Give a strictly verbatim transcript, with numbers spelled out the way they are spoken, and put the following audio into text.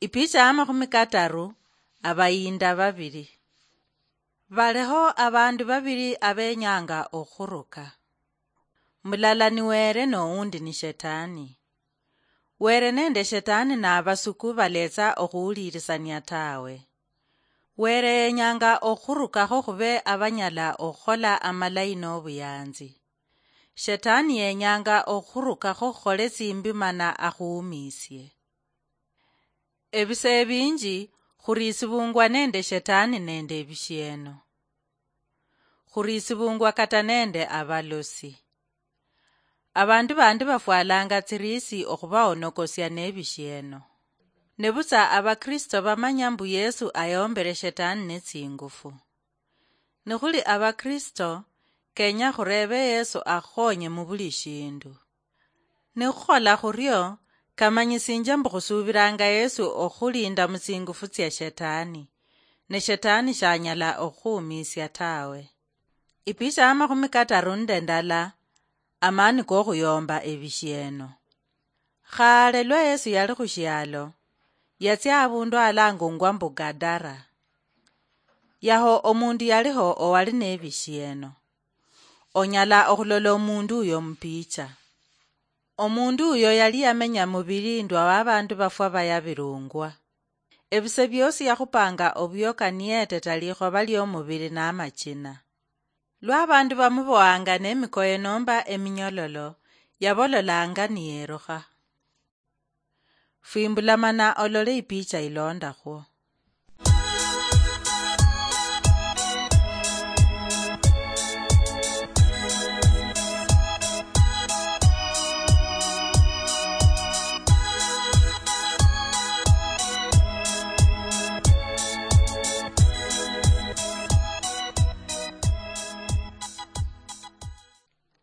Ipicha ya makhumi kataru, abayinda babiri. Baliho abandu babiri abenyanga okhuruka. Mulala ni Were, nowundi ni Shetani. Were nende Shetani nabasuku baletsa okhuwulirisania tawe. Were yenyanga okhurukakho khube abanyala okhukhola amalayi nobuyanzi. Shetani yenyanga okhurukakho khukhole tsimbi mana akhuumisie. Ebise ebinji, khuriisibungwa nende Shetani nende ebishieno. Khuriisibungwa kata nende abalosi. Abandu bandi bafwalanga tsiriisi okhubahonokosia nebishieno. Nebutsa Abakristo bamanya mbu Yesu ayombere Shetani netsingufu. Nikhuli Abakristo, kenya khurebe Yesu akhukhonye mubuli shindu. Nikhukhola khurio, kamanyisinjia mbu khusuubilanga Yesu okhulinda mutsingufu tsia Shetani, ne Shetani shanyala okhukhuumisia tawe. Ipicha ya makhumi kataru nende ndala, amani kokhuyomba ebishieno. Khale lwa Yesu yali khushialo, yatsia abundu alangungwa mbu Gadara. Yaho omundu yaliho owali nebishieno. Onyala okhulola omundu uyo mupicha. Omundu uyo yali yamenya mubilindwa wa bandu bafwa bayabilungwa. Ebise biosi yakhupanga obioka niyeteta likhoba liomubili namachina. Lwa abandu bamubohanga nemikoye nomba eminyololo, yabololanga niyerukha. Fwimbula mana olole ipicha ilondakhwo.